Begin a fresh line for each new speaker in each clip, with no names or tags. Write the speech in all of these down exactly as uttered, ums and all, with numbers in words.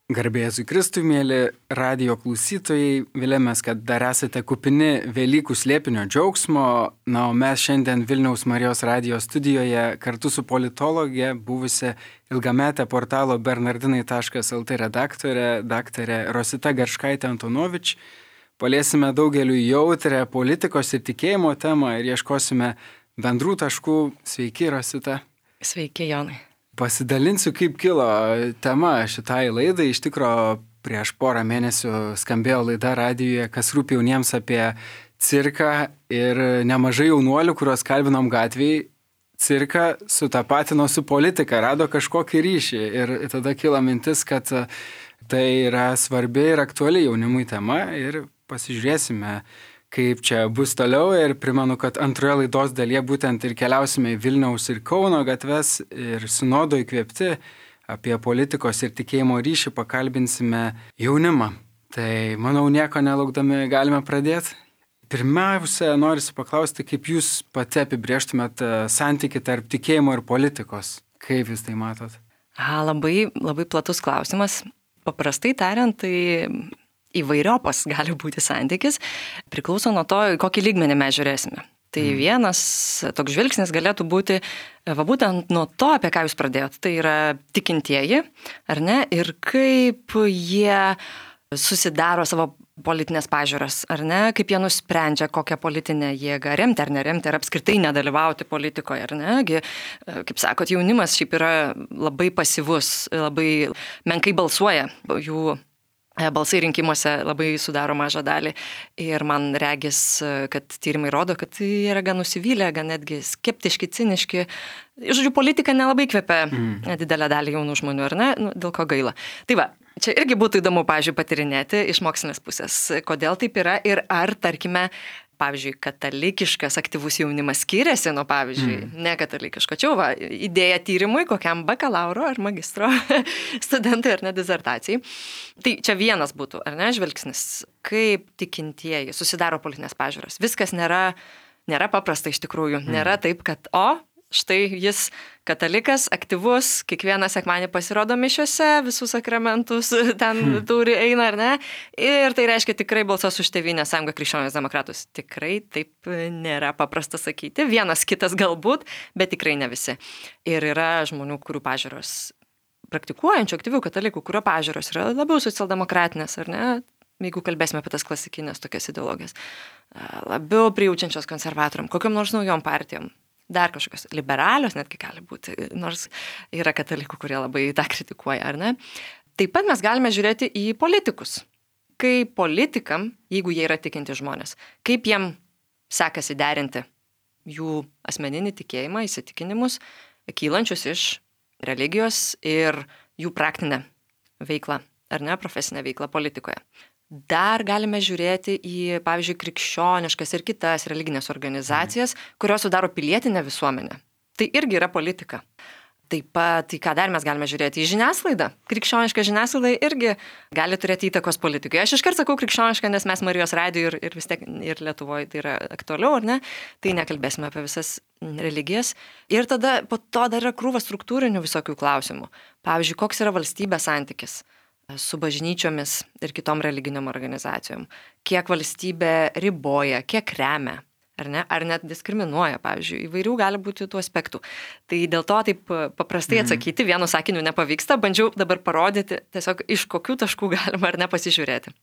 Garbėjai Kristui, mėly radijo klausytojai, vilėmės, kad dar esate kupini Velykų slėpinio džiaugsmo. Na, o mes šiandien Vilniaus Marijos radijo studijoje kartu su politologė, buvusia ilgametė portalo bernardinai taškas lt redaktorė, daktarė Rosita Garškaitė Antonovič, paliesime daugeliu jautrę politikos ir tikėjimo temą ir ieškosime bendrų taškų. Sveiki, Rosita.
Sveiki, Jonai.
Pasidalinsiu, kaip kilo tema šitai laidai. Iš tikro, prieš porą mėnesių skambėjo laida radijoje, kas rūpi jauniems apie cirką, ir nemažai jaunuolių, kuriuos kalbinom gatvėje, cirką sutapatino su politika, rado kažkokį ryšį. Ir tada kilo mintis, kad tai yra svarbi ir aktuali jaunimui tema, ir pasižiūrėsime, kaip čia bus toliau. Ir primenu, kad antroje laidos dalyje būtent ir keliausime į Vilniaus ir Kauno gatves ir sinodo įkvėpti apie politikos ir tikėjimo ryšį pakalbinsime jaunimą. Tai, manau, nieko nelaukdami galime pradėti. Pirmiausia, norisi paklausti, kaip jūs pati apibrėžtumėt santykį tarp tikėjimo ir politikos. Kaip jūs tai matot?
A, labai, labai platus klausimas. Paprastai tariant, tai įvairiopas gali būti santykis, priklauso nuo to, kokį lygmenį mes žiūrėsime. Tai mm. vienas toks žvilgsnis galėtų būti, va būtent nuo to, apie ką jūs pradėjot, tai yra tikintieji, ar ne, ir kaip jie susidaro savo politinės pažiūras, ar ne, kaip jie nusprendžia, kokią politinę jėgą remti ar neremti, ar apskritai nedalyvauti politikoje, ar ne. Kaip sakot, jaunimas šiaip yra labai pasyvus, labai menkai balsuoja, jų balsai rinkimuose labai sudaro mažą dalį, ir man regis, kad tyrimai rodo, kad jie yra gan nusivylę, gan netgi skeptiški, ciniški. Žodžiu, politika nelabai kvepia mm. didelę dalį jaunų žmonių, ar ne? Nu, dėl ko gaila. Tai va, čia irgi būtų įdomu, pavyzdžiui, patyrinėti iš mokslinės pusės, kodėl taip yra ir ar, tarkime, pavyzdžiui, katalikiškas aktyvus jaunimas skiriasi nuo, pavyzdžiui, mm. nekatalikiško. Čia va, idėja tyrimui kokiam bakalauro ar magistro studentui ar ne disertacijai. Tai čia vienas būtų, ar ne, žvilgsnis, kaip tikintieji susidaro politinės pažiūros. Viskas nėra, nėra paprasta iš tikrųjų. Mm. Nėra taip, kad o, štai jis katalikas, aktyvus, kiekvieną sekmanį pasirodo mišiuose, visus sakramentus ten hmm. turi, eina ar ne. Ir tai reiškia tikrai balsuos už Tėvynės sąjungą krikščionis demokratus. Tikrai taip nėra paprasta sakyti. Vienas kitas galbūt, bet tikrai ne visi. Ir yra žmonių, kurių pažiūros, praktikuojančių aktyvių katalikų, kurio pažiūros yra labiau socialdemokratinės, ar ne? Jeigu kalbėsime apie tas klasikinės tokias ideologijas. Labiau prijaučiančios konservatoriam, kokiam nors naujom partijom. Dar kažkokios liberalios netgi gali būti, nors yra katalikų, kurie labai tą kritikuoja, ar ne? Taip pat mes galime žiūrėti į politikus. Kaip politikam, jeigu jie yra tikinti žmonės, kaip jiem sekasi derinti jų asmeninį tikėjimą, įsitikinimus, kylančius iš religijos ir jų praktinę veiklą, ar ne, profesinę veiklą politikoje. Dar galime žiūrėti į, pavyzdžiui, krikščioniškas ir kitas religinės organizacijas, kurios sudaro pilietinę visuomenę. Tai irgi yra politika. Taip pat, į ką dar mes galime žiūrėti, į žiniasklaidą. Krikščioniška žiniasklaida irgi gali turėti įtakos politikai. Aš iškart sakau krikščioniška, nes mes Marijos radijo ir, ir vis tiek ir Lietuvoje tai yra aktualiau, ar ne? Tai nekalbėsime apie visas religijas. Ir tada po to dar yra krūva struktūrinių visokių klausimų. Pavyzdžiui, koks yra valstybės santykis su bažnyčiomis ir kitom religiniam organizacijom, kiek valstybė riboja, kiek remia, ar ne, ar net diskriminuoja, pavyzdžiui, įvairių gali būti tų aspektų. Tai dėl to taip paprastai atsakyti, vienu sakiniu nepavyksta, bandžiau dabar parodyti tiesiog iš kokių taškų galima ar ne pasižiūrėti.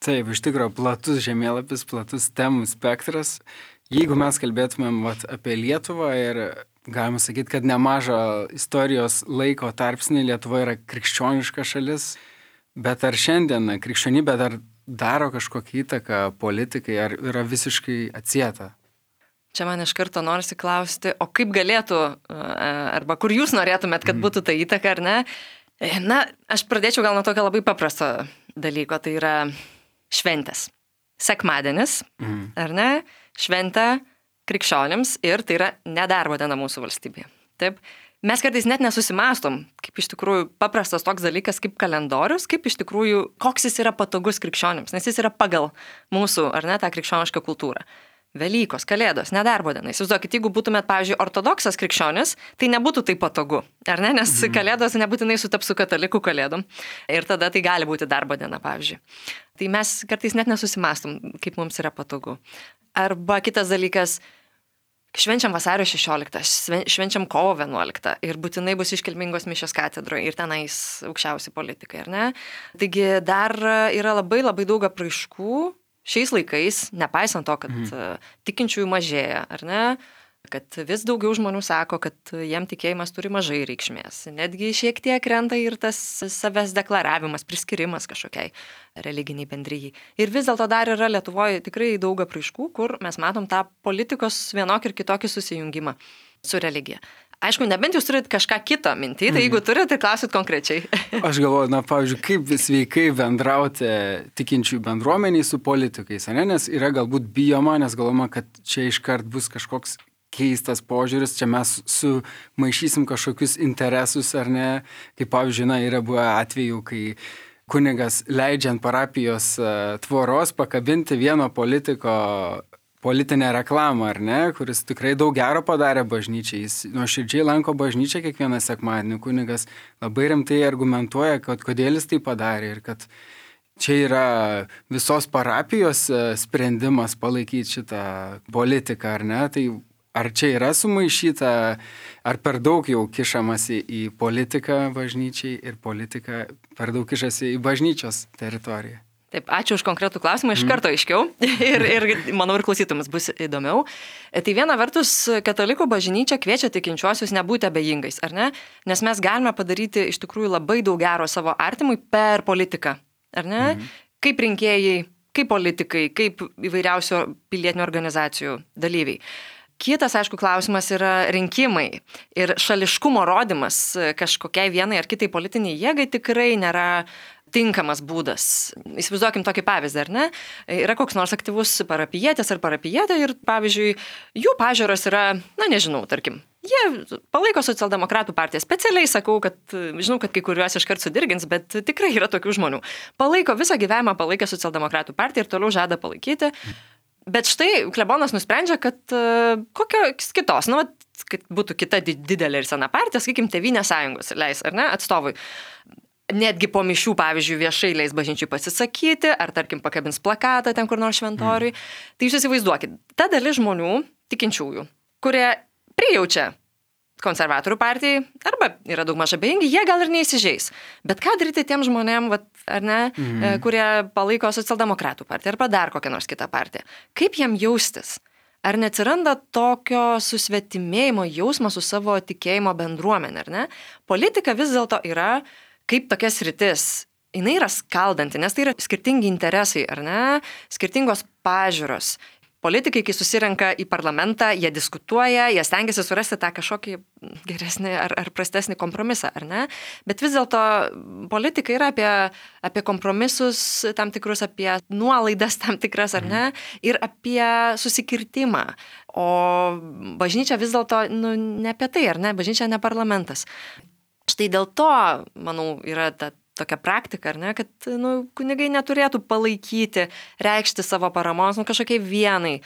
Taip, iš tikrųjų, platus žemėlapis, platus temų spektras. Jeigu mes kalbėtumėm vat, apie Lietuvą ir galima sakyti, kad nemažą istorijos laiko tarpsnį Lietuva yra krikščioniška šalis, bet ar šiandien krikščionybė dar daro kažkokią įtaką politikai, ar yra visiškai atsieta?
Čia man iš karto norisi klausti, o kaip galėtų, arba kur jūs norėtumėt, kad būtų ta įtaka, ar ne? Na, aš pradėčiau gal nuo tokio labai paprasto dalyko, tai yra šventės. Sekmadienis, mm. ar ne? Šventė krikščionims ir tai yra nedarbo diena mūsų valstybėje. Taip? Mes kartais net nesusimastom, kaip iš tikrųjų paprastas toks dalykas kaip kalendorius, kaip iš tikrųjų, koks jis yra patogus krikščionims, nes jis yra pagal mūsų, ar ne, tą krikščionišką kultūrą. Velykos, Kalėdos, nedarbo diena. Įsivaizduokit, jeigu būtumėt, pavyzdžiui, ortodoksas krikščionis, tai nebūtų taip patogu, ar ne? Nes mhm. Kalėdos nebūtinai sutaps su katalikų Kalėdom. Ir tada tai gali būti darbo diena, pavyzdžiui. Tai mes kartais net nesusimastom, kaip mums yra patogu. Arba kitas dalykas, švenčiam vasario šešioliktą, švenčiam kovo vienuoliktą ir būtinai bus iškilmingos mišios katedroje ir tenais aukščiausi politikai, ar ne? Taigi dar yra labai labai daug apraiškų šiais laikais, nepaisant to, kad mhm. tikinčiųjų mažėja, ar ne? Kad vis daugiau žmonių sako, kad jiem tikėjimas turi mažai reikšmės. Netgi šiek tiek krenta ir tas savęs deklaravimas, priskirimas kažkokiai religiniai bendryjai. Ir vis dėlto dar yra Lietuvoje tikrai daug apraiškų, kur mes matom tą politikos vienokį ir kitokį susijungimą su religija. Aišku, nebent jūs turit kažką kito mintį, tai jeigu turit, tai klausit konkrečiai.
Aš galvoju, na, pavyzdžiui, kaip sveikai bendrauti tikinčių bendruomeniai su politikais, ne? Nes yra galbūt bijoma, nes galvoma, kad čia iškart bus kažkoks keistas požiūris, čia mes sumaišysim kažkokius interesus, ar ne? Kaip pavyzdžiui, na, yra buvę atvejų, kai kunigas leidžiant parapijos tvoros pakabinti vieno politiko politinę reklamą, ar ne, kuris tikrai daug gero padarė bažnyčiai. Jis nuoširdžiai lanko bažnyčią kiekvieną sekmadienį. Kunigas labai rimtai argumentuoja, kad kodėl jis tai padarė ir kad čia yra visos parapijos sprendimas palaikyti šitą politiką, ar ne. Tai ar čia yra sumaišyta, ar per daug jau kišamasi į politiką bažnyčiai ir politika per daug kišasi į bažnyčios teritoriją?
Taip, ačiū už konkretų klausimą, iš karto aiškiau ir, ir manau ir klausytumės bus įdomiau. Tai viena vertus, katalikų bažnyčia kviečia tikinčiuosius nebūti abejingais, ar ne? Nes mes galime padaryti iš tikrųjų labai daug gero savo artimui per politiką, ar ne? Mhm. Kaip rinkėjai, kaip politikai, kaip įvairiausio pilietinių organizacijų dalyviai. Kitas, aišku, klausimas yra rinkimai ir šališkumo rodymas kažkokiai vienai ar kitai politiniai jėgai tikrai nėra tinkamas būdas. Įsivaizduokim tokį pavyzdį, ar ne? Yra koks nors aktyvus parapijietis ar parapijietė ir, pavyzdžiui, jų pažiūros yra, na nežinau, tarkim, jie palaiko socialdemokratų partiją. Specialiai sakau, kad žinau, kad kai kuriuos iškart sudirgins, bet tikrai yra tokių žmonių. Palaiko visą gyvenimą, palaikė socialdemokratų partiją ir toliau žada palaikyti. Bet štai klebonas nusprendžia, kad uh, kokios kitos, nu, kad būtų kita didelė ir sena partija, sakykim, Tėvynės sąjungos leis, ar ne, atstovui. Netgi po mišių, pavyzdžiui, viešai leis bažnyčiai pasisakyti, ar, tarkim, pakabins plakatą ten kur nors šventoriui. Mm. Tai jūs įsivaizduokit, ta dalis žmonių, tikinčiųjų, kurie prijaučia konservatorių partijai, arba yra daug mažai abejingi, jie gal ir neįsižeis. Bet ką daryti tiem žmonėm, vat, ar ne, mm. kurie palaiko socialdemokratų partiją, arba dar kokią nors kitą partiją? Kaip jam jaustis? Ar neatsiranda tokio susvetimėjimo jausmo su savo tikėjimo bendruomenė, ar ne? Politika vis dėlto yra kaip tokia sritis, jinai yra skaldanti, nes tai yra skirtingi interesai, ar ne, skirtingos pažiūros. Politikai, kai susirenka į parlamentą, jie diskutuoja, jie stengiasi surasti tą kažkokį geresnį ar, ar prastesnį kompromisą, ar ne? Bet vis dėlto politika yra apie, apie kompromisus tam tikrus, apie nuolaidas tam tikras, ar ne? Ir apie susikirtimą. O bažnyčia vis dėlto, nu, ne apie tai, ar ne? Bažnyčia ne parlamentas. Štai dėl to, manau, yra ta tokia praktika, ar ne, kad nu, kunigai neturėtų palaikyti, reikšti savo paramos nu, kažkokiai vienai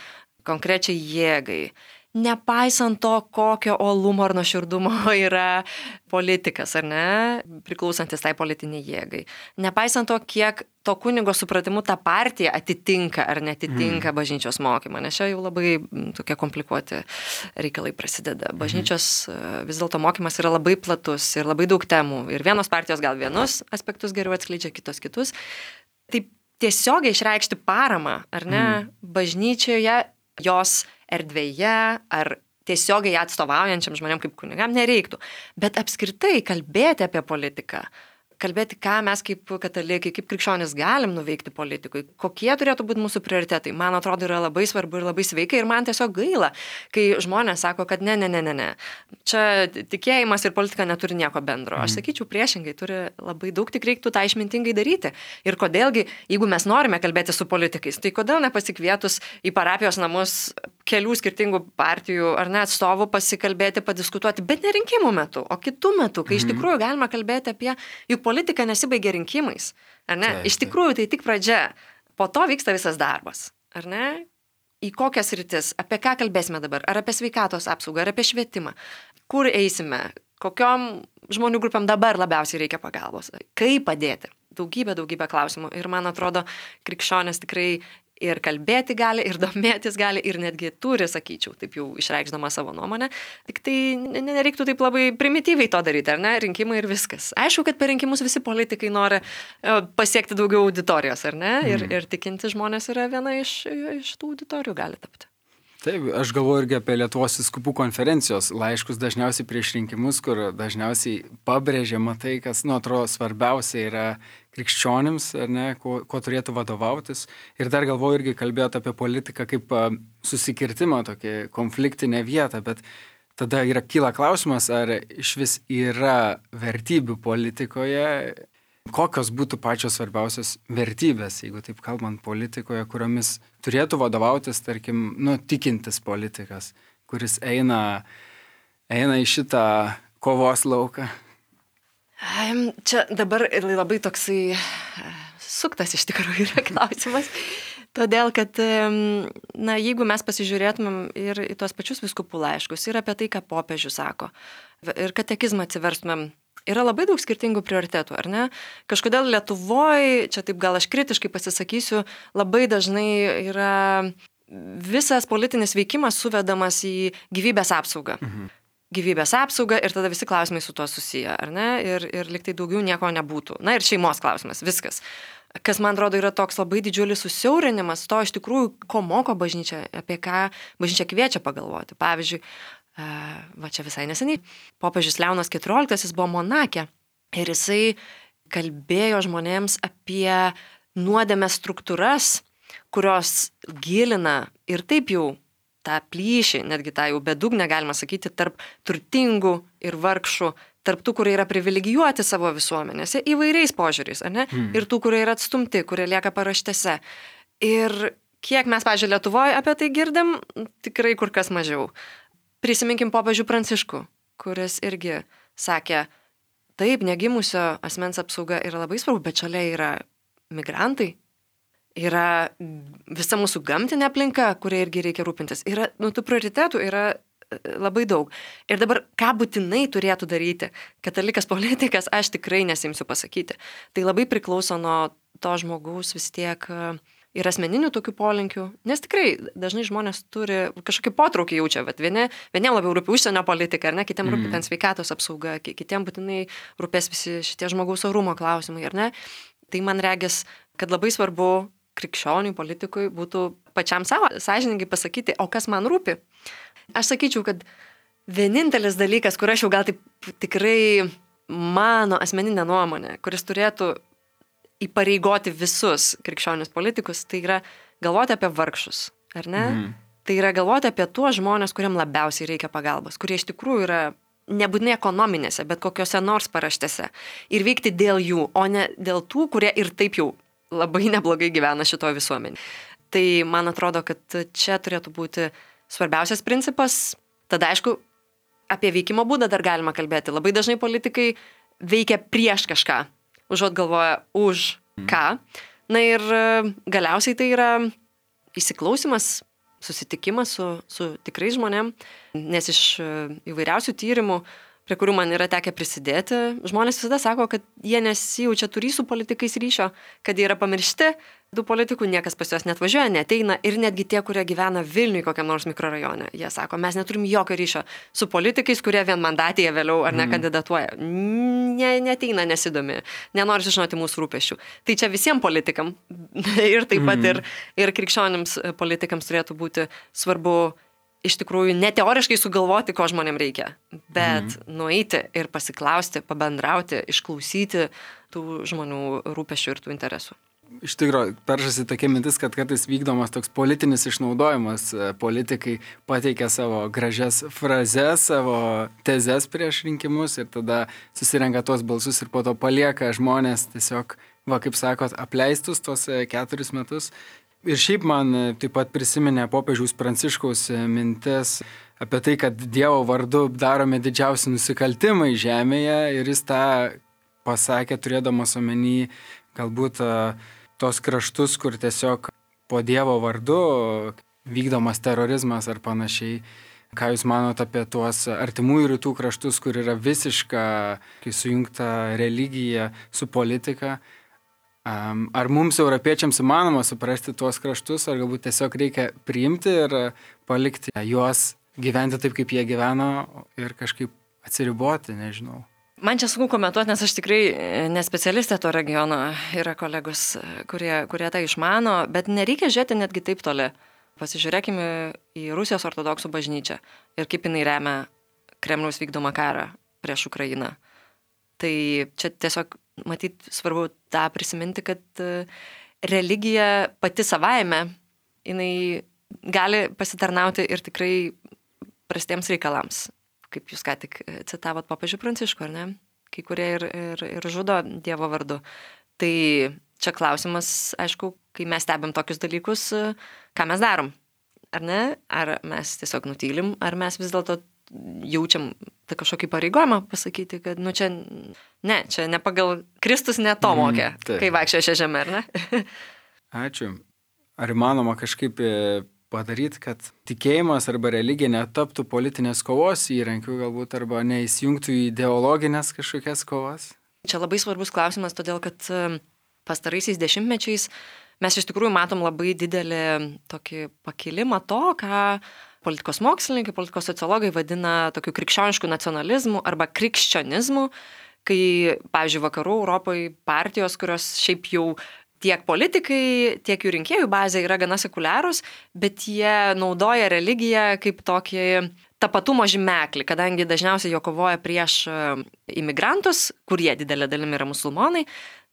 konkrečiai jėgai. Nepaisant to, kokio olumo ar nuoširdumo yra politikas, ar ne, priklausantis tai politiniai jėgai. Nepaisant to, kiek to kunigo supratimu ta partija atitinka ar netitinka mm. bažnyčios mokymą, nes čia jau labai tokie komplikuoti reikalai prasideda. Bažnyčios mm. vis dėlto mokymas yra labai platus ir labai daug temų. Ir vienos partijos gal vienus aspektus geriau atskleidžia, kitos kitus. Tai tiesiogiai išreikšti paramą, ar ne, mm. bažnyčioje, jos erdvėje ar tiesiogiai atstovaujančiam žmonėm kaip kunigam nereiktų. Bet apskritai kalbėti apie politiką, kalbėti, ką mes kaip katalikai, kaip krikščionys galim nuveikti politikui, kokie turėtų būti mūsų prioritetai, man atrodo, yra labai svarbu ir labai sveika ir man tiesiog gaila, kai žmonės sako, kad ne, ne, ne, ne, ne. Čia tikėjimas ir politika neturi nieko bendro. Aš sakyčiau, priešingai, turi labai daug, tik reiktų tą išmintingai daryti. Ir kodėlgi, jeigu mes norime kalbėti su politikais, tai kodėl nepasikvietus į parapijos namus kelių skirtingų partijų ar net atstovų pasikalbėti, padiskutuoti, bet ne rinkimų metu, o kitų metų, kai iš tikrųjų galima kalbėti apie juk politika nesibaigia rinkimais, ar ne? Taip, taip. Iš tikrųjų tai tik pradžia, po to vyksta visas darbas, ar ne? į kokias rytis, apie ką kalbėsime dabar, ar apie sveikatos apsaugą, ar apie švietimą, kur eisime, kokiom žmonių grupėm dabar labiausiai reikia pagalbos, kaip padėti. Daugybė, daugybė klausimų. Ir man atrodo, krikščionės tikrai ir kalbėti gali, ir domėtis gali, ir netgi turi, sakyčiau, taip jau išreikšdama savo nuomonę. Tik tai nereiktų taip labai primityviai to daryti, ar ne? Rinkimai ir viskas. Aišku, kad per rinkimus visi politikai nori pasiekti daugiau auditorijos, ar ne? Ir, ir tikinti žmonės yra viena iš, iš tų auditorijų gali tapti.
Taip, aš galvoju irgi apie Lietuvos vyskupų konferencijos laiškus dažniausiai prieš rinkimus, kur dažniausiai pabrėžiama tai, kas, nu, atrodo, svarbiausia yra krikščionims, ar ne, kuo, kuo turėtų vadovautis. Ir dar galvoju irgi kalbėti apie politiką kaip susikirtimą, tokį konfliktinę vietą, bet tada yra kyla klausimas, ar iš vis yra vertybių politikoje, kokios būtų pačios svarbiausios vertybės, jeigu taip kalbant politikoje, kuriomis turėtų vadovautis, tarkim, nu, tikintis politikas, kuris eina, eina į šitą kovos lauką.
Čia dabar labai toksai suktas iš tikrųjų yra klausimas, todėl kad, na, jeigu mes pasižiūrėtumėm ir į tuos pačius vyskupų laiškus, ir apie tai, ką popiežius sako, ir katekizmą atsiverstumėm, yra labai daug skirtingų prioritetų, ar ne? Kažkodėl Lietuvoje, čia taip gal aš kritiškai pasisakysiu, labai dažnai yra visas politinis veikimas suvedamas į gyvybės apsaugą. Mhm. Gyvybės apsaugą ir tada visi klausimai su tuo susiję, ar ne? Ir, ir liktai daugiau nieko nebūtų. Na ir šeimos klausimas, viskas. Kas, man atrodo, yra toks labai didžiulis susiaurinimas to iš tikrųjų, ko moko bažnyčia, apie ką bažnyčia kviečia pagalvoti. Pavyzdžiui, va čia visai neseniai, popiežius Leonas keturioliktasis buvo Monake ir jisai kalbėjo žmonėms apie nuodėmės struktūras, kurios gilina ir taip jau tą plyšį, netgi tą jau bedugnę galima sakyti, tarp turtingų ir vargšų, tarp tų, kurie yra privilegijuoti savo visuomenėse įvairiais požiūriais, ar ne? Hmm. Ir tų, kurie yra atstumti, kurie lieka paraštėse. Ir kiek mes, pavyzdžiui, Lietuvoje apie tai girdim, tikrai kur kas mažiau. Prisiminkim popiežių Pranciškų, kuris irgi sakė, taip, negimusio asmens apsauga yra labai svarbu, bet šalia yra migrantai, yra visa mūsų gamtinė aplinka, kuria irgi reikia rūpintis. Yra, nu, tų prioritetų yra labai daug. Ir dabar, ką būtinai turėtų daryti katalikas politikas, aš tikrai nesimsiu pasakyti. Tai labai priklauso nuo to žmogaus vis tiek ir asmeninių tokių polinkių, nes tikrai dažnai žmonės turi kažkokį potraukį jaučia, bet vieni, vieniem labiau rūpi užsienio politika, ar ne, kitiem rūpi ten sveikatos apsauga, kitiem būtinai rūpės visi šitie žmogaus orumo klausimai, ar ne. Tai man regis, kad labai svarbu krikščioniui, politikui būtų pačiam savo sąžiningai pasakyti, o kas man rūpi. Aš sakyčiau, kad vienintelis dalykas, kur aš jau gal taip tikrai mano asmeninė nuomonė, kuris turėtų įpareigoti visus krikščionius politikus, tai yra galvoti apie vargšus, ar ne? Mm. Tai yra galvoti apie tuos žmonės, kuriam labiausiai reikia pagalbos, kurie iš tikrųjų yra nebūtinai ekonominėse, bet kokiose nors paraštėse. Ir veikti dėl jų, o ne dėl tų, kurie ir taip jau labai neblogai gyvena šitoje visuomenėje. Tai man atrodo, kad čia turėtų būti svarbiausias principas. Tada, aišku, apie veikimo būdą dar galima kalbėti. Labai dažnai politikai veikia prieš kažką, užuot galvoja už ką. Na ir galiausiai tai yra įsiklausimas, susitikimas su, su tikrais žmonėm, nes iš įvairiausių tyrimų, prie kurių man yra tekę prisidėti, žmonės visada sako, kad jie nesijaučia turį su politikais ryšio, kad jie yra pamiršti, tų politikų niekas pas juos net važiuoja, neteina ir netgi tie, kurie gyvena Vilniui kokiam nors mikrorajone, jie sako, mes neturim jokio ryšio su politikais, kurie vienmandatėje vėliau ar ne kandidatuoja. Ne, neteina, nesidomi, nenori žinoti mūsų rūpesčių. Tai čia visiems politikam ir taip pat ir, ir krikščionims politikams turėtų būti svarbu iš tikrųjų ne teoriškai sugalvoti, ko žmonėm reikia, bet mhm. nueiti ir pasiklausti, pabendrauti, išklausyti tų žmonių rūpesčių ir tų interesų.
Iš tikrųjų, peršasi tokia mintis, kad kartais vykdomas toks politinis išnaudojimas. Politikai pateikia savo gražias frazes, savo tezes prieš rinkimus ir tada susirenka tuos balsus ir po to palieka žmonės tiesiog, va, kaip sakot, apleistus tos keturis metus. Ir šiaip man taip pat prisiminė popiežiaus Pranciškaus mintis apie tai, kad Dievo vardu daromi didžiausi nusikaltimai žemėje ir jis tą pasakė, turėdamas omeny galbūt tos kraštus, kur tiesiog po Dievo vardu vykdomas terorizmas ar panašiai. Ką Jūs manot apie tuos artimųjų rytų kraštus, kur yra visiška, kai sujungta religija su politika? Ar mums, europiečiams, įmanoma suprasti tuos kraštus, ar galbūt tiesiog reikia priimti ir palikti juos gyventi taip, kaip jie gyveno ir kažkaip atsiriboti, nežinau.
Man čia sunku komentuoti, nes aš tikrai nespecialistė to regiono, yra kolegos, kurie, kurie tai išmano, bet nereikia žiūrėti netgi taip toli. Pasižiūrėkime į Rusijos ortodoksų bažnyčią ir kaip jinai remia Kremliaus vykdomą karą prieš Ukrainą. Tai čia tiesiog, matyt, svarbu tą prisiminti, kad religija pati savaime, jinai gali pasitarnauti ir tikrai prastiems reikalams. Kaip jūs ką tik citavot popiežių Pranciškų, ar ne? Kai kurie ir, ir, ir žudo Dievo vardu. Tai čia klausimas, aišku, kai mes stebim tokius dalykus, ką mes darom, ar ne? Ar mes tiesiog nutylim, ar mes vis dėlto jaučiam tą kažkokį pareigojimą pasakyti, kad, nu čia, ne, čia ne pagal Kristus ne to mokė, mm, kai vaikščioja šią žemę, ar ne?
Ačiū. Ar įmanoma kažkaip padaryti, kad tikėjimas arba religija netaptų politinės kovos įrankių galbūt, arba neįsijungtų į ideologinės kažkokias kovas?
Čia labai svarbus klausimas, todėl kad pastaraisiais dešimtmečiais mes iš tikrųjų matom labai didelį tokį pakilimą to, ką politikos mokslininkai, politikos sociologai vadina tokiu krikščionišku nacionalizmu arba krikščionizmu, kai, pavyzdžiui, vakarų Europoje partijos, kurios šiaip jau tiek politikai, tiek jų rinkėjų bazė yra gana sekuliarūs, bet jie naudoja religiją kaip tokį tapatumo žymeklį, kadangi dažniausiai jo kovoja prieš imigrantus, kurie didelė dalimi yra musulmonai.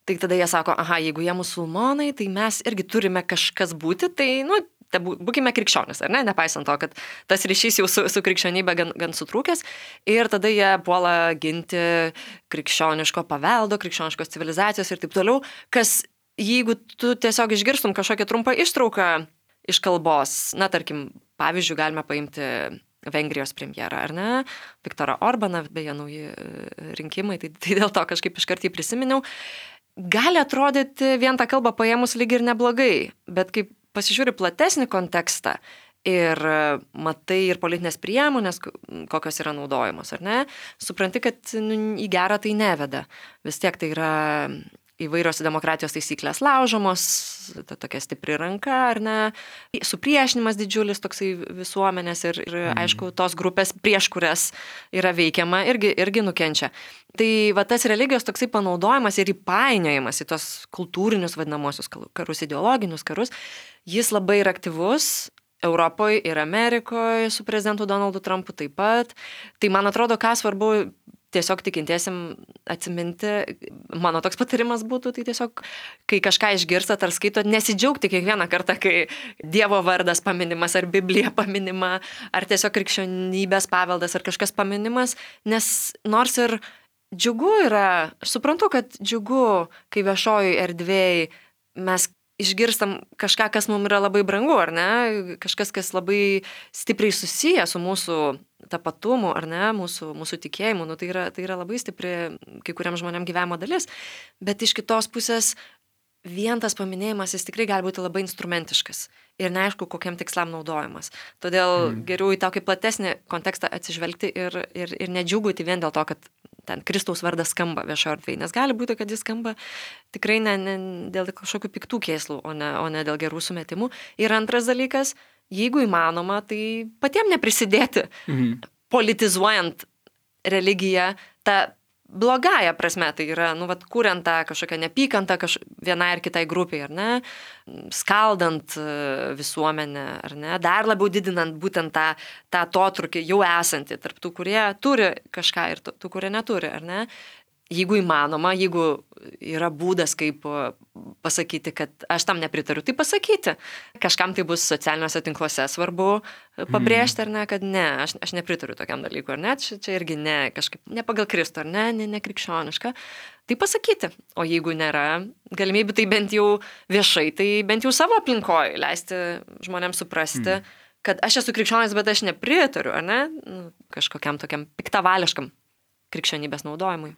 Tai tada jie sako, aha, jeigu jie musulmonai, tai mes irgi turime kažkas būti, tai, nu, būkime krikščionis, ar ne, nepaisant to, kad tas ryšys jau su, su krikščionybė gan, gan sutrūkęs. Ir tada jie puola ginti krikščioniško paveldo, krikščioniškos civilizacijos ir taip toliau, kas jeigu tu tiesiog išgirstum kažkokią trumpą ištrauką iš kalbos, na, tarkim, pavyzdžiui, galime paimti Vengrijos premjerą, ar ne, Viktorą Orbaną, beje, nauji rinkimai, tai, tai dėl to kažkaip iškart jį prisiminiau, gali atrodyti vien tą kalbą paėmus lyg ir neblogai, bet kaip pasižiūri platesnį kontekstą ir matai ir politinės priemonės, kokios yra naudojamos, ar ne, supranti, kad nu, į gerą tai neveda. Vis tiek tai yra įvairios demokratijos taisyklės laužomos, ta tokia stipri ranka, ar ne, supriešinimas didžiulis toksai visuomenės ir, ir mm. aišku, tos grupės, prieš kurias yra veikiama, irgi, irgi nukenčia. Tai va tas religijos toksai panaudojimas ir įpainiojimas į tos kultūrinius vadinamosius karus, ideologinius karus, jis labai yra aktyvus Europoje ir Amerikoje su prezidentu Donaldu Trumpu taip pat. Tai man atrodo, ką svarbu tiesiog tikintiesim atsiminti, mano toks patarimas būtų, tai tiesiog, kai kažką išgirstat ar skaitot, nesidžiaugti kiekvieną kartą, kai Dievo vardas paminimas, ar Biblija paminima, ar tiesiog krikščionybės paveldas, ar kažkas paminimas, nes nors ir džiugu yra, aš suprantu, kad džiugu, kai viešojoj erdvėj mes išgirstam kažką, kas mums yra labai brangu, ar ne, kažkas, kas labai stipriai susiję su mūsų tapatumu, ar ne, mūsų, mūsų tikėjimu, nu, tai, yra, tai yra labai stipri kai kuriam žmonėm gyvenimo dalis, bet iš kitos pusės vien tas paminėjimas jis tikrai gali būti labai instrumentiškas ir neaišku, kokiam tikslam naudojamas. Todėl mm. geriau į tokį platesnį kontekstą atsižvelgti ir, ir, ir nedžiugauti vien dėl to, kad ten Kristaus vardas skamba viešo erdvėje, nes gali būti, kad jis skamba tikrai ne, ne dėl kažkokių piktų kėslų, o ne, o ne dėl gerų sumetimų. Ir antras dalykas, jeigu įmanoma, tai patiem neprisidėti, mhm. politizuojant religiją, tą blogąją prasme, tai yra, nu, vat, kuriant tą kažkokią neapykantą kaž... vienai ar kitai grupiai, ar ne, skaldant visuomenę, ar ne, dar labiau didinant būtent tą, tą atotrūkį jau esantį tarp tų, kurie turi kažką ir tų, tų kurie neturi, ar ne. Jeigu įmanoma, jeigu yra būdas, kaip pasakyti, kad aš tam nepritariu, tai pasakyti. Kažkam tai bus socialiniuose tinkluose svarbu pabrėžti, ar ne, kad ne, aš, aš nepritariu tokiam dalykui, ar ne, čia, čia irgi ne, kažkaip ne pagal Kristų, ar ne, ne, ne krikščioniška. Tai pasakyti. O jeigu nėra galimybių, tai bent jau viešai, tai bent jau savo aplinkoje leisti žmonėms suprasti, mm. kad aš esu krikščionis, bet aš nepritariu, ar ne, nu, kažkokiam tokiam piktavališkam krikščionybės naudojimui.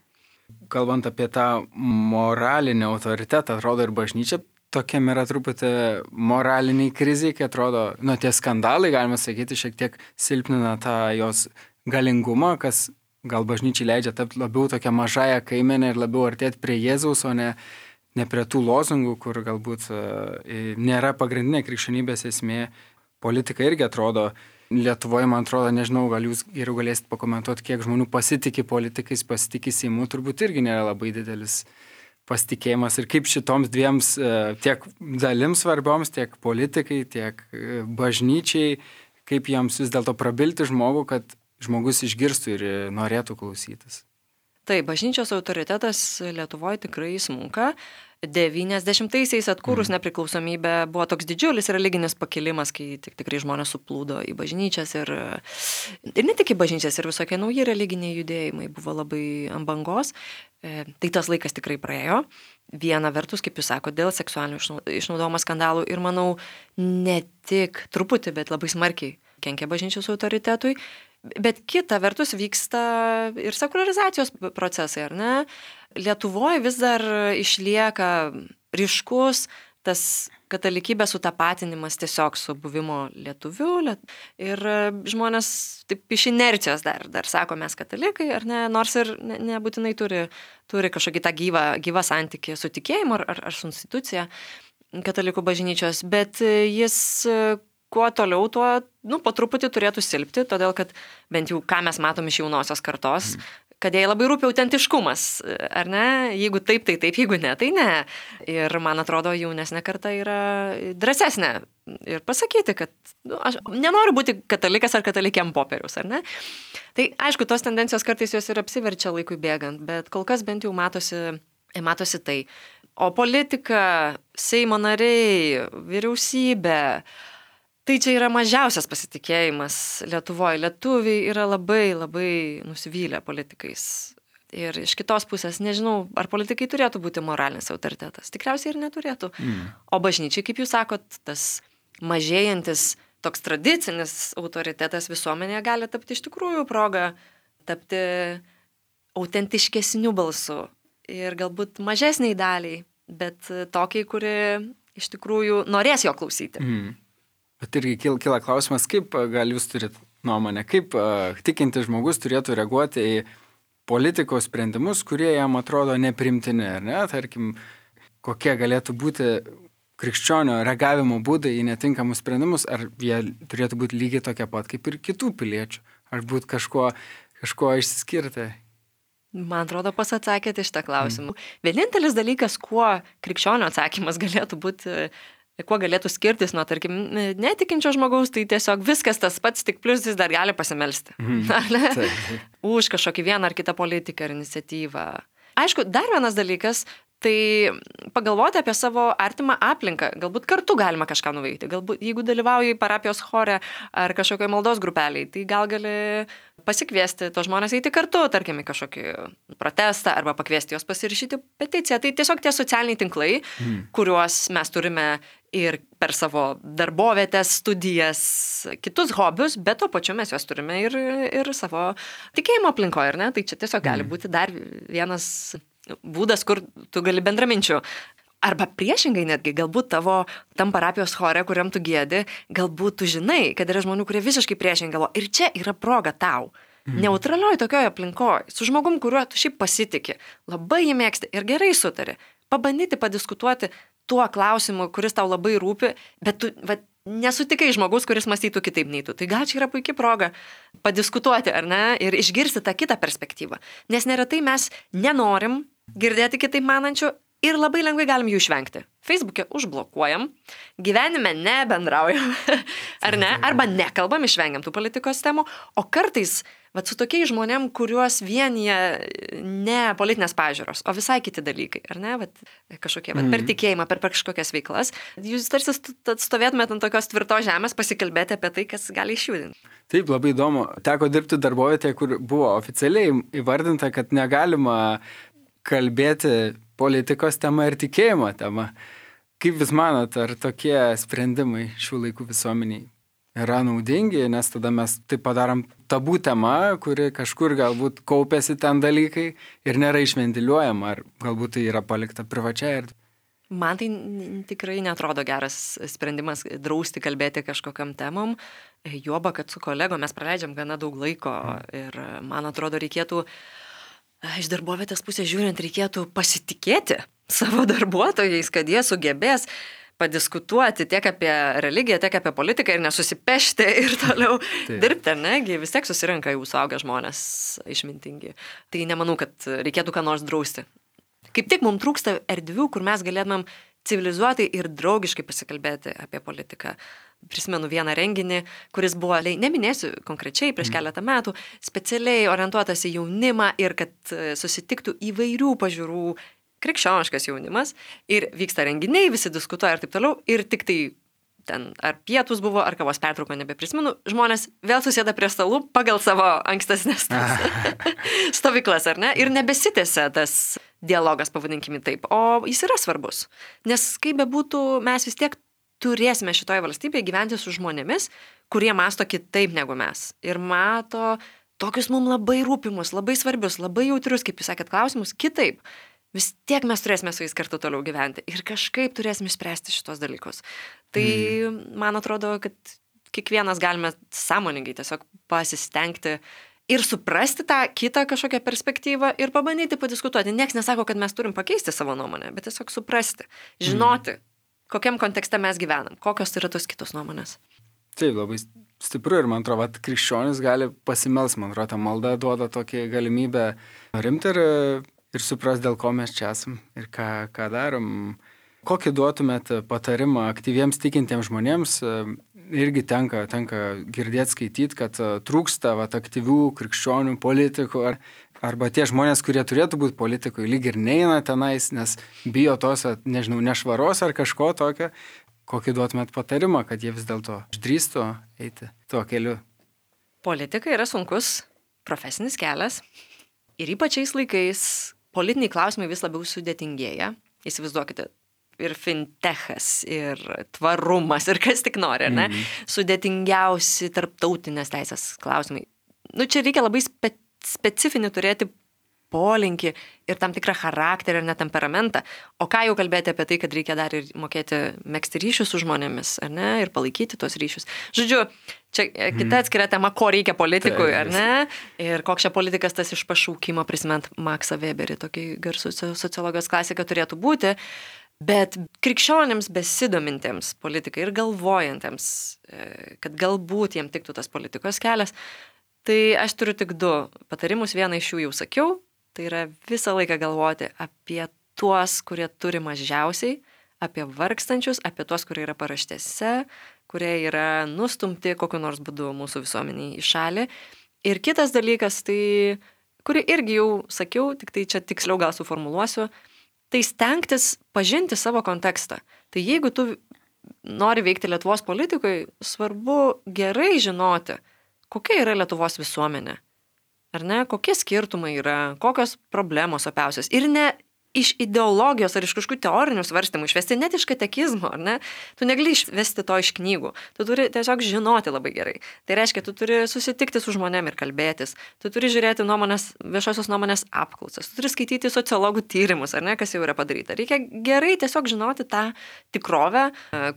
Kalbant apie tą moralinį autoritetą, atrodo ir bažnyčia tokiam yra truputį moraliniai kriziai, kai atrodo, nu, tie skandalai, galima sakyti, šiek tiek silpnina tą jos galingumą, kas gal bažnyčiai leidžia tapti labiau tokia mažąją kaimenę ir labiau artėti prie Jėzaus, o ne, ne prie tų lozungų, kur galbūt uh, nėra pagrindinė krikščionybės esmė. Politika irgi atrodo, Lietuvoje, man atrodo, nežinau, gal jūs geriau galėsit pakomentuoti, kiek žmonių pasitikė politikais, pasitikė Seimu, turbūt irgi nėra labai didelis pasitikėjimas. Ir kaip šitoms dviems tiek dalims svarbioms, tiek politikai, tiek bažnyčiai, kaip jiems vis dėlto prabilti žmogų, kad žmogus išgirstų ir norėtų klausytis.
Taip, bažnyčios autoritetas Lietuvoje tikrai smunka. devyniasdešimtaisiais atkūrus nepriklausomybę buvo toks didžiulis religinis pakilimas, kai tik, tikrai žmonės suplūdo į bažnyčias ir, ir ne tik į bažnyčias, ir visokie nauji religiniai judėjimai buvo labai ant bangos. E, tai tas laikas tikrai praėjo. Viena vertus, kaip jūs sakote, dėl seksualinio išnaudojimo skandalų ir manau ne tik truputį, bet labai smarkiai kenkia bažnyčios autoritetui. Bet kita vertus vyksta ir sekularizacijos procesai, ar ne? Lietuvoje vis dar išlieka ryškus tas katalikybės sutapatinimas tiesiog su buvimo lietuviu. Ir žmonės taip iš inercijos dar, dar sako, mes katalikai, ar ne? Nors ir ne, nebūtinai turi, turi kažkokį tą gyvą, gyvą santykį su tikėjimu ar, ar, ar su institucija katalikų bažnyčios, bet jis kuo toliau, tuo, nu, po truputį turėtų silpti, todėl kad bent jau ką mes matom iš jaunosios kartos, mm. kad jai labai rūpi autentiškumas, ar ne? Jeigu taip, tai taip, jeigu ne, tai ne. Ir man atrodo, jaunesnė karta yra drąsesnė ir pasakyti, kad nu, aš nenoriu būti katalikas ar katalikė ant popieriaus, ar ne? Tai aišku, tos tendencijos kartais jos ir apsiverčia laikui bėgant, bet kol kas bent jau matosi, matosi tai. O politika, Seimo nariai, vyriausybė, tai čia yra mažiausias pasitikėjimas Lietuvoje. Lietuviai yra labai, labai nusivylę politikais. Ir iš kitos pusės, nežinau, ar politikai turėtų būti moralinis autoritetas. Tikriausiai ir neturėtų. Mm. O bažnyčiai, kaip jūs sakot, tas mažėjantis, toks tradicinis autoritetas visuomenėje gali tapti iš tikrųjų progą, tapti autentiškesniu balsu. Ir galbūt mažesniai daliai, bet tokiai, kuri iš tikrųjų norės jo klausyti.
Mm. Bet irgi kyla klausimas, kaip gal jūs turit nuomonę, kaip uh, tikintis žmogus turėtų reaguoti į politikos sprendimus, kurie jam atrodo neprimtini, ar ne? Tarkim, kokie galėtų būti krikščionio reagavimo būdai į netinkamus sprendimus, ar jie turėtų būti lygiai tokie pat kaip ir kitų piliečių, ar būti kažko, kažko išsiskirti.
Man atrodo, pas atsakėte šitą klausimą. Mm. Vienintelis dalykas, kuo krikščionio atsakymas galėtų būti, kuo galėtų skirtis nuo, tarkim, netikinčio žmogaus, tai tiesiog viskas tas pats, tik plius jis dar gali pasimelsti. Mm. Už kažkokį vieną ar kitą politiką ar iniciatyvą. Aišku, dar vienas dalykas, tai pagalvoti apie savo artimą aplinką. Galbūt kartu galima kažką nuveikti. Galbūt, jeigu dalyvauji parapijos chore ar kažkokioj maldos grupeliai, tai gal gali pasikviesti tos žmonės eiti kartu, tarkim, į kažkokį protestą arba pakviesti juos pasirašyti peticiją. Tai tiesiog tie socialiniai tinklai, mm. kuriuos mes turime ir per savo darbovietės, studijas, kitus hobius, bet tuo pačiu mes juos turime ir, ir savo tikėjimo aplinkoje, ar ne? Tai čia tiesiog gali būti dar vienas būdas, kur tu gali bendraminčių. Arba priešingai netgi, galbūt tavo tam parapijos chore, kuriam tu giedi, galbūt tu žinai, kad yra žmonių, kurie visiškai priešingai galvo. Ir čia yra proga tau. Mm. Neutralioj tokioje aplinkoje, su žmogum, kuriuo tu šiaip pasitiki, labai jį mėgsti ir gerai sutari. Pabandyti padiskutuoti tuo klausimu, kuris tau labai rūpi, bet tu va, nesutikai žmogus, kuris mąstytų kitaip nei tu. Tai gal čia yra puikia proga padiskutuoti, ar ne, ir išgirsti tą kitą perspektyvą. Nes neretai mes nenorim girdėti kitaip manančių ir labai lengvai galim jų išvengti. Facebook'e užblokuojam, gyvenime nebendraujam, ar ne, arba nekalbam, išvengiam tų politikos temų, o kartais vat, su tokiais žmonėm, kuriuos vienyje ne politinės pažiūros, o visai kiti dalykai, ar ne, vat, kažkokie, vat, per tikėjimą, per, per kažkokias veiklas, jūs tarsi stovėtumėt ant tokios tvirtos žemės pasikalbėti apie tai, kas gali išjudinti. Taip,
labai įdomu. Teko dirbti darbovietėje, kur buvo oficialiai įvardinta, kad negalima kalbėti politikos tema ir tikėjimo tema. Kaip jūs manot, ar tokie sprendimai šių laikų visuomeniai yra naudingi, nes tada mes taip padarom tabų tema, kuri kažkur galbūt kaupėsi ten dalykai ir nėra išventiliuojama, ar galbūt tai yra palikta privačiai erdvė?
Man tai tikrai netrodo geras sprendimas drausti kalbėti kažkokiam temom, juoba, kad su kolegom mes praleidžiam gana daug laiko ir man atrodo reikėtų, iš darbovietės pusės žiūrint, reikėtų pasitikėti savo darbuotojais, kad jie sugebės padiskutuoti tiek apie religiją, tiek apie politiką ir nesusipešti ir toliau tai dirbti, negi vis tiek susirenka jau suaugę žmonės išmintingi. Tai nemanau, kad reikėtų ką nors drausti. Kaip tik mums trūksta erdvių, kur mes galėtumėm civilizuotai ir draugiškai pasikalbėti apie politiką. Prisimenu vieną renginį, kuris buvo, neminėsiu konkrečiai, prieš keletą metų, specialiai orientuotas į jaunimą ir kad susitiktų įvairių pažiūrų krikščioniškas jaunimas ir vyksta renginiai, visi diskutuoja ir taip toliau ir tik tai ten ar pietus buvo, ar kavos pertrauko, nebeprisimenu, žmonės vėl susėda prie stalų pagal savo ankstesnės stovyklas, ar ne? Ir nebesitėse tas dialogas, pavadinkime taip, o jis yra svarbus. Nes kaip bebūtų, mes vis tiek turėsime šitoje valstybėje gyventi su žmonėmis, kurie masto kitaip negu mes. Ir mato tokius mums labai rūpimus, labai svarbius, labai jautrius, kaip jūs sakėt, klausimus, kitaip. Vis tiek mes turėsime su jais kartu toliau gyventi ir kažkaip turėsime išspręsti šitos dalykus. Tai mm. man atrodo, kad kiekvienas galime sąmoningai tiesiog pasistengti ir suprasti tą kitą kažkokią perspektyvą ir pabandyti padiskutuoti. Niekas nesako, kad mes turim pakeisti savo nuomonę, bet tiesiog suprasti, žinoti, mm. kokiam kontekste mes gyvenam, kokios yra tos kitos nuomonės.
Taip, labai stipru ir man atrodo, kad krikščionis gali pasimels, man atrodo, ta malda duoda tokį galimybę rimti ir ir supras, dėl ko mes čia esam ir ką, ką darom. Kokį duotumėt patarimą aktyviems tikintiems žmonėms, irgi tenka, tenka girdėti, skaityti, kad trūksta vat, aktyvių krikščionių politikų, ar, arba tie žmonės, kurie turėtų būti politikui, lyg ir neina tenais, nes bijo tos, nežinau, nešvaros ar kažko tokio. Kokį duotumėt patarimą, kad jie vis dėlto išdrįstų eiti tuo keliu?
Politika yra sunkus profesinis kelias ir ypač šiais laikais politiniai klausimai vis labiau sudėtingėja. Įsivaizduokite, ir fintechas, ir tvarumas, ir kas tik nori, ar ne? Mm. Sudėtingiausi tarptautinės teisės klausimai. Nu, čia reikia labai spe- specifinį turėti polinkį ir tam tikrą charakterį ir net temperamentą. O ką jau kalbėti apie tai, kad reikia dar ir mokėti megzti ryšius su žmonėmis, ar ne? Ir palaikyti tos ryšius. Žodžiu, čia kita atskira tema, ko reikia politikui, ar ne? Ir koks čia politikas tas iš pašaukimo, prisimint Maksą Weberį, tokį garsų sociologijos klasiką turėtų būti. Bet krikščionims besidomintiems politikai ir galvojantiems, kad galbūt jiem tiktų tas politikos kelias, tai aš turiu tik du patarimus. Vieną iš jų jau sakiau, tai yra visą laiką galvoti apie tuos, kurie turi mažiausiai, apie vargstančius, apie tuos, kurie yra paraštėse, kurie yra nustumti kokiu nors būdu mūsų visuomeniai į šalį. Ir kitas dalykas, tai, kurį irgi jau sakiau, tik tai čia tiksliau gal suformuluosiu, tai stengtis pažinti savo kontekstą. Tai jeigu tu nori veikti Lietuvos politikui, svarbu gerai žinoti, kokia yra Lietuvos visuomenė. Ar ne? Kokie skirtumai yra, kokios problemos opiausios. Ir ne iš ideologijos ar iš kažkokių teorinių svarstymų išvesti, net iš katekizmo, ar ne? Tu negali išvesti to iš knygų. Tu turi tiesiog žinoti labai gerai. Tai reiškia, tu turi susitikti su žmonėm ir kalbėtis. Tu turi žiūrėti nuomonės, viešosios nuomonės apklausas. Tu turi skaityti sociologų tyrimus, ar ne, kas jau yra padaryta. Reikia gerai tiesiog žinoti tą tikrovę,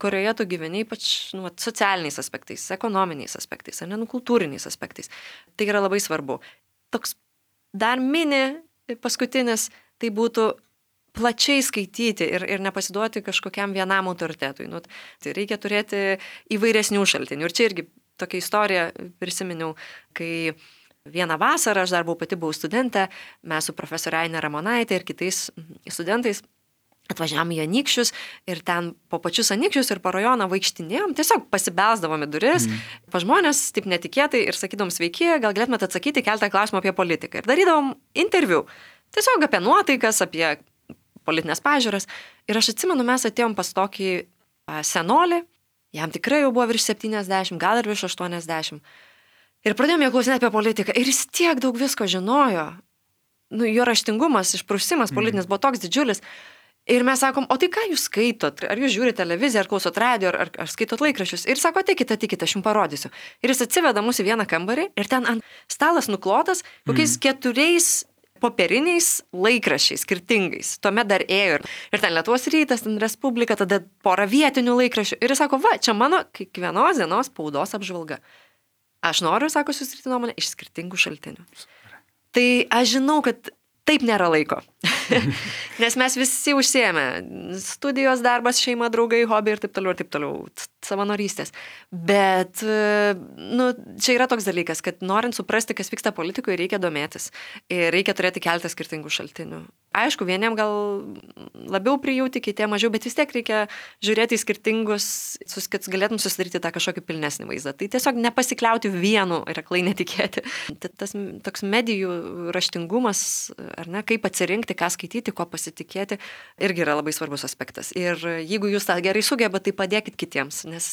kurioje tu gyveni, ypač nu, socialiniais aspektais, ekonominiais aspektais, ar ne, nu, kultūriniais aspektais. Tai yra labai svarbu. Toks dar mini paskutinis, tai būtų plačiai skaityti ir, ir nepasiduoti kažkokiam vienam autoritetui. Nu, tai reikia turėti įvairesnių šaltinių. Ir čia irgi tokia istorija prisiminiau, kai vieną vasarą, aš dar buvau pati buvau studentė, mes su profesorė Ainė Ramonaitė ir kitais studentais atvažiavom į Anykščius ir ten po pačius Anykščius ir po rajoną vaikštinėjom, tiesiog pasibelsdavom į duris, mm. pa žmonės taip netikėtai ir sakydom sveiki, gal galėtumėte atsakyti keltą klausimą apie politiką. Ir darydavom interviu, tiesiog apie nuotaikas, apie politinės pažiūras. Ir aš atsimenu, mes atėjom pas tokį senolį, jam tikrai jau buvo virš septyniasdešimt, gal ir virš aštuoniasdešimt. Ir pradėjom jo klausinėti apie politiką. Ir jis tiek daug visko žinojo. Nu, jo raštingumas, išprusimas politinis mm. buvo toks didžiulis. Ir mes sakom, o tai ką jūs skaitot? Ar jūs žiūrite televiziją, ar klausot radio, ar, ar skaitot laikraščius? Ir sako, ateikite, ateikite, aš jums parodysiu. Ir jis atsiveda mus į vieną kambarį ir ten ant stalas nuklotas kokiais mm. keturiais popieriniais laikraščiais, skirtingais. Tuomet dar ėjo ir, ir ten Lietuvos rytas, ten Respublika, tada pora vietinių laikraščių. Ir jis sako, va, čia mano kiekvienos dienos spaudos apžvalga. Aš noriu, sako, susidaryti nuomonę iš skirtingų šaltinių. Tai aš žinau, kad taip nėra laiko, nes mes visi užsiėmę studijos, darbas, šeima, draugai, hobiai ir taip toliau, ir taip toliau, savanorystės. Bet, nu, čia yra toks dalykas, kad norint suprasti, kas vyksta politikoje, reikia domėtis ir reikia turėti keletą skirtingų šaltinių. Aišku, vieniem gal labiau prijauti, kitiem mažiau, bet vis tiek reikia žiūrėti į skirtingus, kad galėtum susidaryti tą kažkokį pilnesnį vaizdą. Tai tiesiog nepasikliauti vienu ir aklai netikėti. Tas toks medijų raštingumas, ar ne, kaip atsirinkti, ką skaityti, ko pasitikėti, irgi yra labai svarbus aspektas. Ir jeigu jūs tą gerai sugebat, tai padėkit kitiems, nes,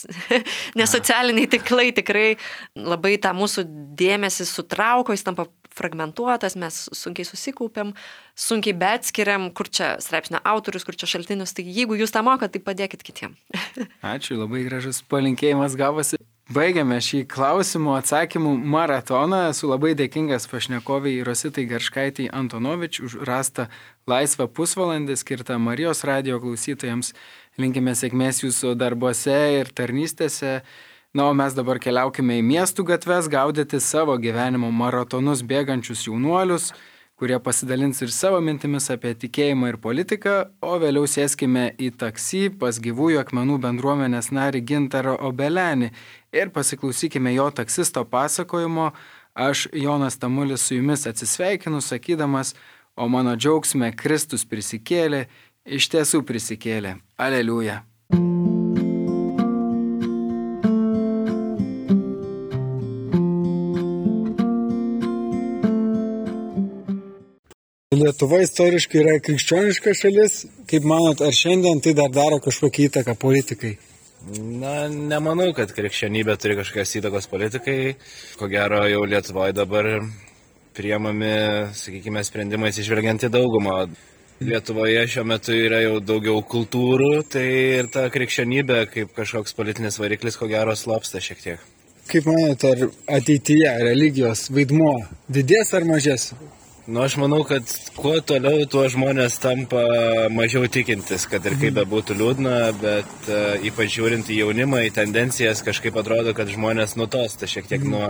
nes socialiniai tinklai tikrai labai tą mūsų dėmesį sutrauko, jis tampa fragmentuotas, mes sunkiai susikaupiam, sunkiai beatskiriam, kur čia straipsnio autorius, kur čia šaltinius, tai jeigu jūs tą mokat, tai padėkit kitiem.
Ačiū, labai gražus palinkėjimas gavosi. Baigiame šį klausimų atsakymų maratoną. Esu labai dėkingas pašnekoviai Rositai Garškaitei Antonovič už rastą laisvą pusvalandį skirtą Marijos radijo klausytojams. Linkime sėkmės jūsų darbuose ir tarnystėse. Na, o mes dabar keliaukime į miestų gatves, gaudyti savo gyvenimo maratonus bėgančius jaunuolius, kurie pasidalins ir savo mintimis apie tikėjimą ir politiką, o vėliau sėskime į taksi pas Gyvųjų akmenų bendruomenės narį Gintarą Obelenį ir pasiklausykime jo taksisto pasakojimo. Aš, Jonas Tamulis, su jumis atsisveikinu, sakydamas, o mano džiaugsme Kristus prisikėlė, iš tiesų prisikėlė. Aleliuja.
Lietuva istoriškai yra krikščioniška šalis. Kaip manot, ar šiandien tai dar daro kažkokią įtaką politikai?
Na, nemanau, kad krikščionybė turi kažkokios įtakos politikai. Ko gero, jau Lietuvoje dabar priemami, sakykime, sprendimais išvelgiant į daugumą. Lietuvoje šiuo metu yra jau daugiau kultūrų, tai ir ta krikščionybė kaip kažkoks politinis variklis, ko gero, slopsta šiek tiek.
Kaip manot, ar ateityje religijos vaidmuo didės ar mažės?
Nu, aš manau, kad kuo toliau, tuo žmonės tampa mažiau tikintis, kad ir kaip bebūtų liūdna, bet uh, ypač žiūrint į jaunimą, į tendencijas, kažkaip atrodo, kad žmonės nutosta šiek tiek nuo,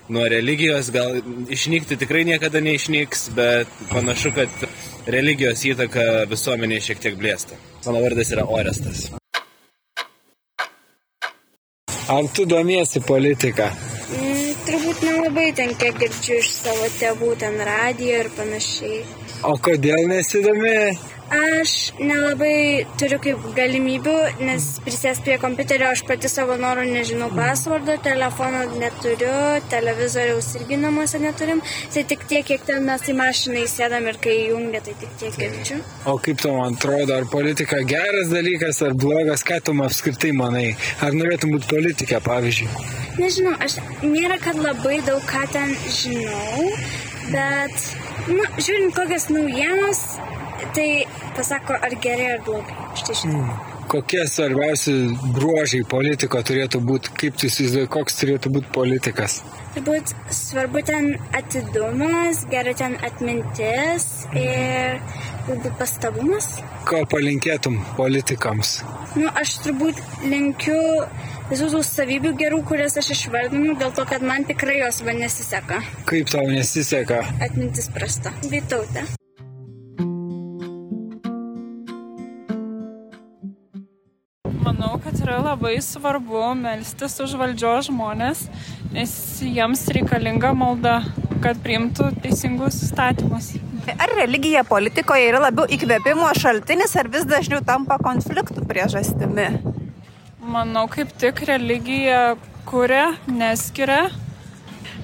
nuo religijos. Gal išnykti tikrai niekada neišnyks, bet panašu, kad religijos įtaka visuomenėje šiek tiek blėsta. Mano vardas yra Orestas.
Ar tu domiesi politiką?
Mm, turbūt nelabai ten kiek girdžiu iš savo tėvų, ten radijo ir panašiai.
O kodėl nesidomi?
Aš nelabai turiu kaip galimybių, nes prisės prie kompiuterio aš pati savo norų nežinau pasvardo, telefono neturiu, televizoriaus irgi namuose neturim. Tai tik tiek, kiek ten mes į mašiną įsėdam ir kai įjungia, tai tik tiek girdžiu.
O kaip tau atrodo, ar politika geras dalykas ar blogas, ką tu apskritai manai? Ar norėtum būti politikė, pavyzdžiui?
Nežinau, aš nėra, kad labai daug ką ten žinau, bet, nu, žiūrint kokias naujienas, tai pasako, ar gerai, ar blogai. Štai šitą.
Mm. Kokie svarbiausi bruožai politiko turėtų būti, kaip tu įsivaizduoji, koks turėtų būti politikas?
Turbūt svarbu ten atidumas, gerai ten atmintis ir galbūt pastabumas.
Ko palinkėtum politikams?
Nu, aš turbūt linkiu visų tų savybių gerų, kurias aš išvardinu, dėl to, kad man tikrai jos va nesiseka.
Kaip tau nesiseka?
Atmintis prasta. Vytautė.
Manau, kad yra labai svarbu melstis už valdžios žmonės, nes jiems reikalinga malda, kad priimtų teisingus įstatymus.
Ar religija politikoje yra labiau įkvėpimo šaltinis, ar vis dažniau tampa konfliktų priežastimi?
Manau, kaip tik religija kuria, neskiria.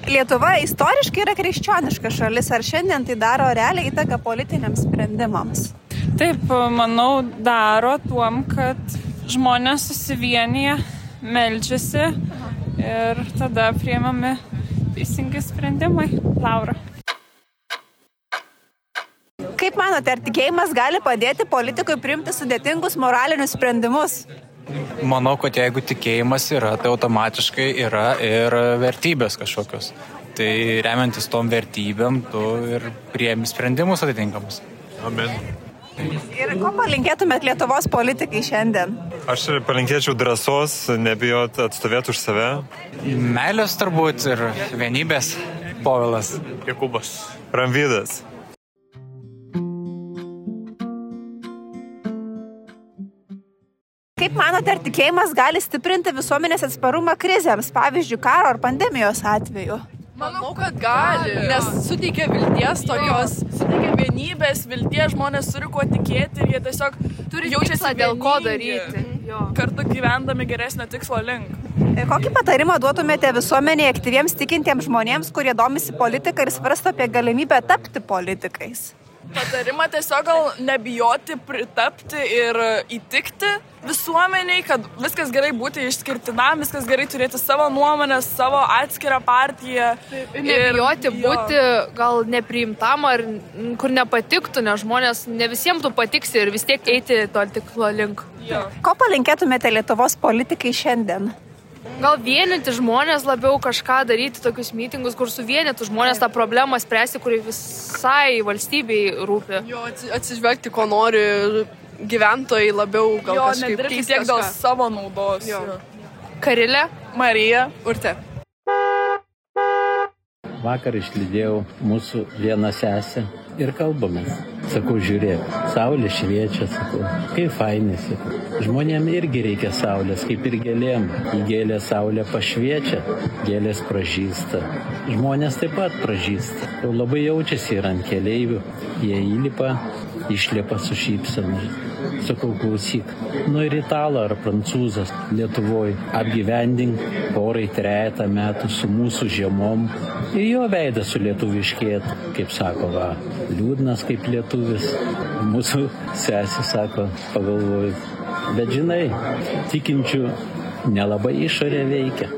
Lietuva istoriškai yra krikščioniška šalis, ar šiandien tai daro realią įtaką politiniams sprendimams?
Taip, manau, daro tuom, kad žmonės susivienyje, meldžiasi ir tada priimami teisingi sprendimai. Laura.
Kaip manote, ar tikėjimas gali padėti politikui priimti sudėtingus moralinius sprendimus?
Manau, kad jeigu tikėjimas yra, tai automatiškai yra ir vertybės kažkokios. Tai remiantis tom vertybėm, tu ir priemi sprendimus atitinkamus.
Amen.
Ir ko palinkėtumėt Lietuvos politikai šiandien?
Aš palinkėčiau drąsos, nebijot atstovėti už save.
Meilės turbūt ir vienybės. Povilas.
Jokūbas. Ramvydas.
Kaip manote, ar tikėjimas gali stiprinti visuomenės atsparumą krizėms, pavyzdžiui, karo ar pandemijos atveju?
Manau, kad gali, nes suteikia vilties tokios, suteikia vienybės, vilties, žmonės turi kuo tikėti ir jie tiesiog turi jaučiasi dėl ko daryti, kartu gyvendami geresnio tikslo link.
Kokį patarimą duotumėte visuomenėje aktyviems tikintiems žmonėms, kurie domisi politiką ir svarsto apie galimybę tapti politikais?
Patarimą tiesiog gal nebijoti pritapti ir įtikti visuomeniai, kad viskas gerai būti išskirtinam, viskas gerai turėti savo nuomonę, savo atskirą partiją.
Ir nebijoti ir, būti gal nepriimtam ar kur nepatiktų, nes žmonės ne visiems tu patiksi ir vis tiek eiti to tikslo link.
Jo.
Ko palinkėtumėte Lietuvos politikai šiandien?
Gal vienyti žmonės labiau kažką daryti, tokius mitingus, kur suvienytų žmonės tą problemą spręsti, kuri visai valstybei rūpi.
Jo, atsižvelgti, ko nori gyventojai labiau, gal jo, kažkaip keisti tiek dėl savo naudos. Jo.
Karilė,
Marija, Urtė.
Vakar išlydėjau mūsų vieną sesę ir kalbamės. Sakau, žiūrėk, saulė šviečia, sakau, kaip fainai, sakau. Žmonėm irgi reikia saulės, kaip ir gėlėm. Į gėlę saulė pašviečia, gėlės pražysta. Žmonės taip pat pražysta. Jau labai jaučiasi ir ant keleivių. Jie įlipa, išlipa su šypsena. Sakau, klausyk, nu ir italą ar prancūzas Lietuvoj apgyvendink porai trejetą metų su mūsų žiemom ir jo veidas sulietuviškėtų, kaip sako, va, liūdnas kaip lietuvis. Mūsų sesė sako, pagalvoju, bet žinai, tikinčių nelabai išorė veikia.